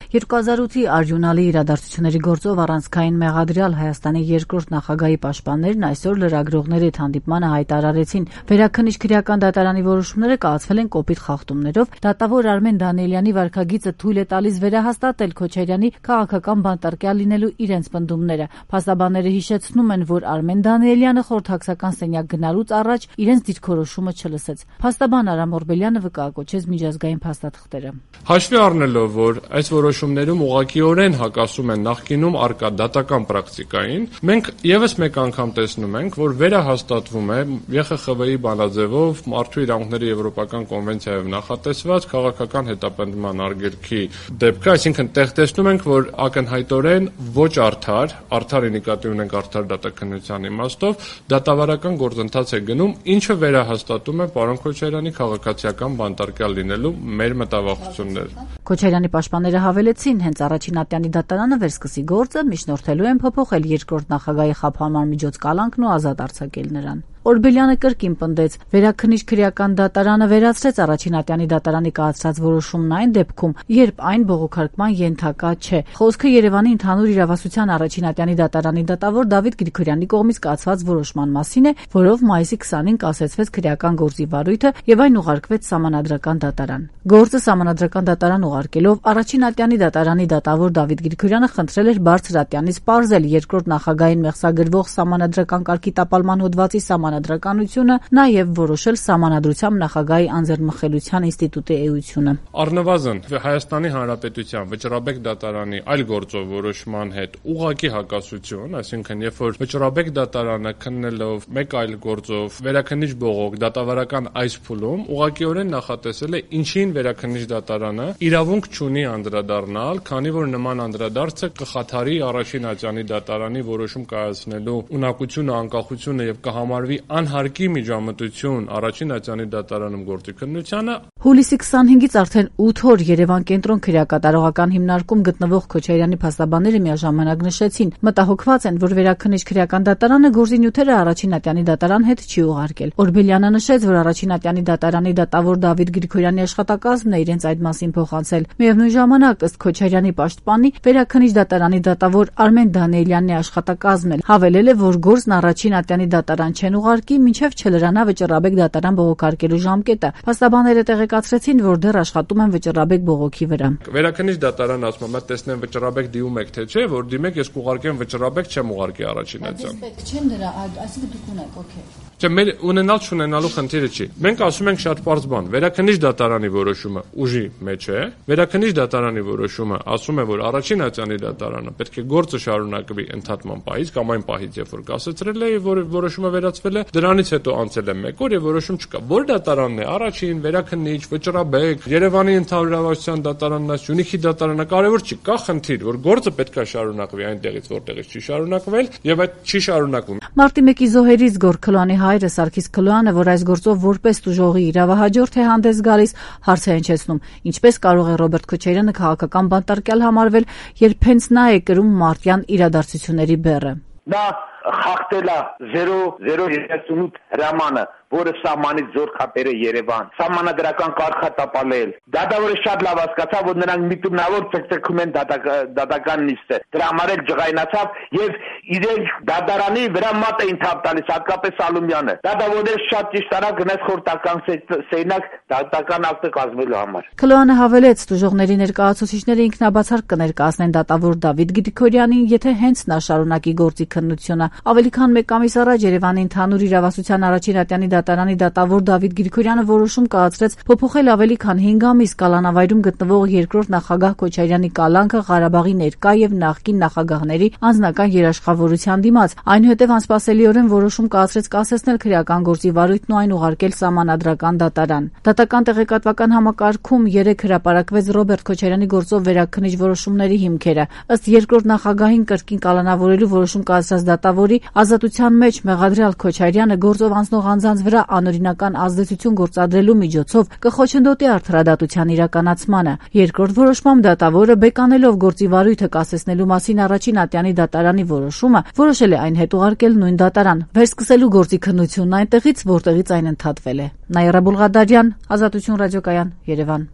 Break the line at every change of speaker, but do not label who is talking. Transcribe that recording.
2008-ի արյունալի իրադարձությունների գործով առանցքային մեղադրյալ Հայաստանի երկրորդ նախագահի պաշտպաններն այսօր լրագրողների հետ հանդիպմանը հայտարարեցին, վերաքննիչ քրեական դատարանի որոշումները կայացվել են կոպիտ խախտումներով, դատավոր Արմեն Դանիելյանի վարքագիծը թույլ է տալիս վերահաստատել Քոչարյանի քաղաքական բանտարկյալ լինելու իրենց պնդումները։ Փաստաբանները հիշեցնում են, որ Արմեն Դանիելյանը խորհրդակցական սենյակ գնալուց առաջ իրենց դիրքորոշումը չլսեց։ Փաստաբան Արամ Օրբելյանը վկայակոչեց միջազգային փաստաթղթերը։
Հաշվի առնելով, որ այս որոշումներում ուղղակիորեն հակասում են նախկինում առկա դատական պրակտիկային, մենք եւս մեկ անգամ տեսնում ենք, որ վերահաստատվում է ԵԽԽՎ-ի բանաձևով Մարդու իրավունքների եվրոպական կոնվենցիայով նախատեսված քաղաքական հետապնդման արգելքի դեպքը, այսինքն տեղ տեսնում ենք, որ ակնհայտորեն ոչ արդար նկատի ունենք արդար դատաքննության իմաստով, դատավարական գործընթաց է գնում, ինչը վերահաստատում է պարոն Քոչարյանի քաղաքացիական բանտարկյալ լինելու մեր մտավախությունները։
Քոչարյանի պաշտպանները հավելեցին, հենց առաջին ատյանի դատարանը վերսկսի գործը միջնորդելու են փոփոխել երկրորդ նախագահի խափանման միջոց կալանքն ու ազատ արձակել նրան։ Օրբելյանը կրկին պնդեց, վերաքննիչ քրեական դատարանը վերացրեց առաջին ատյանի դատարանի կայացրած որոշումն այն դեպքում, երբ այն բողոքարկման ենթակա չէ։ Խոսքը Երևանի ընդհանուր իրավասության առաջին ատյանի դատարանի դատավոր Դավիթ Գրիգորյանի կողմից կայացված որոշման մասին է, որով մայիսի 20-ին կասեցվեց քրեական գործի վարույթը եւ այն ուղարկվեց Սահմանադրական դատարան։ Գործը Սահմանադրական դատարան ուղարկելով առաջին ատյանի դատարանի դատավոր Դավիթ Գրիգորյանը խնդրել էր բարձր ատյանից պարզել երկրորդ նախագահին մեղսագրվող Սահմանադրական կարգի տապալման հոդվածի սահմանադրականությունը, նաև որոշել Սահմանադրությամբ նախագահի անձեռնմխելիության ինստիտուտի էությունը։
Առնվազն Հայաստանի Հանրապետության վճռաբեկ դատարանի այլ գործով որոշման հետ ուղղակի հակասություն, այսինքն երբ որ վճռաբեկ դատարանը քննելով մեկ այլ գործով վերաքննիչ բողոք դատավարական այս փուլում ուղղակիորեն նախատեսել է ինչին վերաքննիչ դատարանը իրավունք չունի անդրադառնալ, քանի որ նման անդրադարձը կխաթարի առաջին ատյանի դատարանի որոշում կայացնելու ունակությունը, անկախությունը եւ կհամարվի անհարկի միջամտություն առաջին ատյանի դատարանում գործի քննությանը։
Հուլիսի 25-ից արդեն 8 օր Երևան կենտրոն քրեակատարողական հիմնարկում գտնվող Քոչարյանի փաստաբանները միաժամանակ նշեցին, մտահոգված են, որ վերաքննիչ քրեական դատարանը գործի նյութերը առաջին ատյանի դատարան հետ չի ուղարկել։ Օրբելյանը նշեց, որ առաջին ատյանի դատարանի դատավոր Դավիթ Գրիգորյանի աշխատակազմն է իրենց այդ մասին փոխանցել։ Միևնույն ժամանակ, ըստ Քոչարյանի պաշտպանի, վերաքննիչ դատարանի դատավոր Արմեն Դանիելյանն է աշխատակազմն էլ հավելել է, որ գործն առաջին ատյանի դատարան չեն ուղարկի, մինչև չլրանա վճռաբեկ դատարան բողոքարկելու ժամկետը։ Փաստաբանները տեղեկացրեցին, որ դեռ աշխատում են վճռաբեկ բողոքի վրա։
Վերաքննիչ դատարան ասում է, տեսնեմ վճռաբեկ դիմում եք թե չէ, որ դիմեք, ես կուղարկեմ վճռաբեկ, չեմ ուղարկի առաջին ատյան։
Պետք չեմ դրա, այսինքն դուք ունեք, օքեյ։
Չէ, մեր ունենալ չունենալու խնդիրը չի։ Մենք ասում ենք շատ պարզ բան, վերաքննիչ դատարանի որոշումը ուժի մեջ է, վերաքննիչ դատարանի որոշումը ասում է, որ առաջին ատյանի դատարանը պետք է գործը շարունակվի ընդհատման պահից կամ այն պահից, երբ որ կասեցրել է, որ որոշումը վերացվել է, դրանից հետո անցել է 1 օր եւ որոշում չկա։ Որ դատարանն է, առաջին, վերաքննիչ, վճռաբեկ, Երևանի ընդհանուր իրավասության դատարանն է, Սյունիքի դատարանը, կարևոր չի, կա խնդիր, որ գործը պետք է շարունակվի այնտեղից, որտեղից չի շարունակվել եւ այդ չի շարունակվում։
Մարտի 1-ի զոհերից Գորգ Քլոյանի հայրը Սարգիս Քլոյանը, որ այս գործով որպես տուժողի իրավահաջորդ է հանդես գալիս, հարց է հնչեցնում. ինչպես կարող է Ռոբերտ Քոչարյանը քաղաքական բանտարկյալ համարվել, երբ հենց նա է կրում մարտյան իրադարձությունների բեռը։
Նա խախտել է 038 հրամանը, որը սահմանից զոր քապերը Երևան, սահմանադրական կարգ տապալել։ Դատավորը շատ լավ հասկացավ, որ նրանք միտումնավոր ցկցկում են դատական նիստը։ Դրա համար էլ ջղայնացավ եւ իրենք դատարանի վրա մատ էին թափ տալիս, հատկապես Ալումյանը։ Դատավորները շատ ճիշտ արավ գնաց խորհրդական սենյակ դատական ակտը կազմելու համար։
Քլոյանը հավելեց, տուժողների ներկայացուցիչները ինքնաբացարկ կներկայացնեն դատավոր Դավիթ Գրիգորյանին, եթե հենց նա շարունակի գործի քննությունը։ Ավելի քան 1 ամիս առաջ Երևանի ընդհանուր իրավասության առաջին ատյանի դատարանի դատավոր Դավիթ Գրիգորյանը որոշում կայացրեց փոփոխել ավելի քան 5 ամիս կալանավայրում գտնվող երկրորդ նախագահ Քոչարյանի կալանքը Ղարաբաղի ներկա եւ նախկին նախագահների անձնական երաշխավորության դիմաց։ Այնուհետև անսպասելիորեն որոշում կայացրեց կասեցնել քրեական գործի վարույթն ու այն ուղարկել Սահմանադրական դատարան։ Դատական տեղեկատվական համակարգում 3 հրապարակվեց Ռոբերտ Քոչարյանի գործով վերաքննիչ որոշումների հիմքերը։ Ըստ երկրորդ նախագահին կրկին կալանավորելու որոշում կայացրած դատավորի ազատության մեջ մեղադրյալ Քոչարյանը գործով անցնող անձանց վրա անօրինական ազդեցություն գործադրելու միջոցով կխոչընդոտի արդարադատության իրականացմանը։ Երկրորդ որոշմամբ դատավորը բեկանելով գործի վարույթը կասեցնելու մասին առաջին ատյանի դատարանի որոշումը որոշել է այն հետ ուղարկել նույն դատարան, վերսկսելու գործի քննությունն այնտեղից, որտեղից այն ընդհատվել է։ Նաիրա Բուլղադարյան, Ազատություն ռադիոկայան, Երևան։